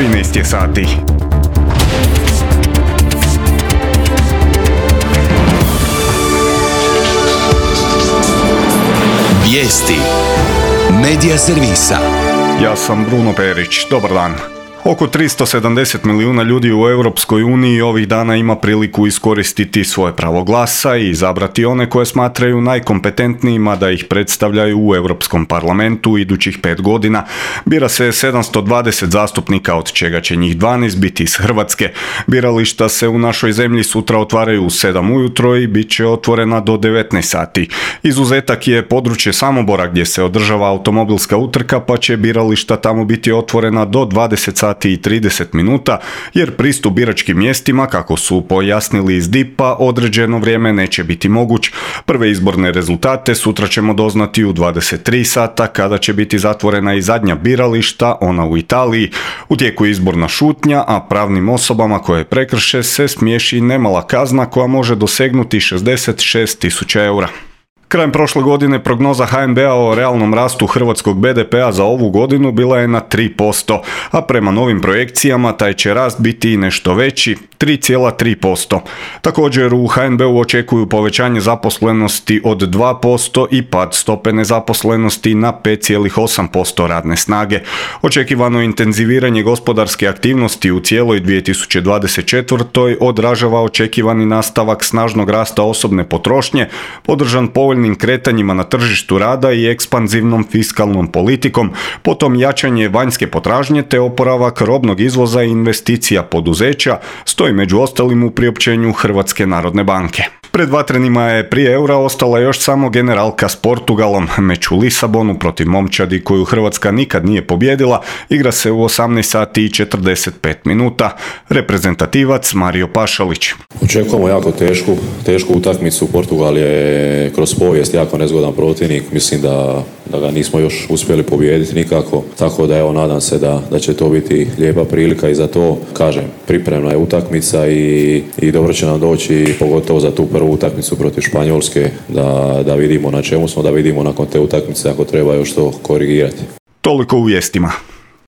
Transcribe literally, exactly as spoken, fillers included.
trinaest je sati. Vijesti Medija servisa. Ja sam Bruno Perić. Dobar dan. Oko tristo sedamdeset milijuna ljudi u Europskoj uniji ovih dana ima priliku iskoristiti svoje pravo glasa i izabrati one koje smatraju najkompetentnijima da ih predstavljaju u Europskom parlamentu idućih pet godina. Bira se sedamsto dvadeset zastupnika, od čega će njih dvanaest biti iz Hrvatske. Birališta se u našoj zemlji sutra otvaraju u sedam ujutro i bit će otvorena do devetnaest sati. Izuzetak je područje Samobora gdje se održava automobilska utrka, pa će birališta tamo biti otvorena do dvadeset sati i trideset minuta, jer pristup biračkim mjestima, kako su pojasnili iz D I P-a, određeno vrijeme neće biti moguć. Prve izborne rezultate sutra ćemo doznati u dvadeset tri sata, kada će biti zatvorena i zadnja birališta, ona u Italiji. U tijeku je izborna šutnja, a pravnim osobama koje prekrše se smiješi nemala kazna koja može dosegnuti šezdeset šest tisuća eura. Krajem prošle godine prognoza H N B-a o realnom rastu hrvatskog B D P-a za ovu godinu bila je na tri posto, a prema novim projekcijama taj će rast biti i nešto veći, tri zarez tri posto. Također u H N B-u očekuju povećanje zaposlenosti od dva posto i pad stope nezaposlenosti na pet zarez osam posto radne snage. Očekivano intenziviranje gospodarske aktivnosti u cijeloj dvije tisuće dvadeset četvrtoj odražava očekivani nastavak snažnog rasta osobne potrošnje, podržan povoljnim kretanjima na tržištu rada i ekspanzivnom fiskalnom politikom, potom jačanje vanjske potražnje te oporavak robnog izvoza i investicija poduzeća, stoji među ostalim u priopćenju Hrvatske narodne banke. Pred vatrenima je prije eura ostala još samo generalka s Portugalom. Meč u Lisabonu protiv momčadi koju Hrvatska nikad nije pobijedila igra se u osamnaest sati i četrdeset pet minuta. Reprezentativac Mario Pašalić. Očekujemo jako tešku, tešku utakmicu. Portugal je kroz povijest jako nezgodan protivnik. Mislim da, da ga nismo još uspjeli pobijediti nikako. Tako da evo, nadam se da, da će to biti lijepa prilika i za to, kažem, pripremna je utakmica i, i dobro će nam doći, pogotovo za tu prvu utakmicu protiv Španjolske, da, da vidimo na čemu smo, da vidimo nakon te utakmice ako treba još to korigirati. Toliko u vijestima.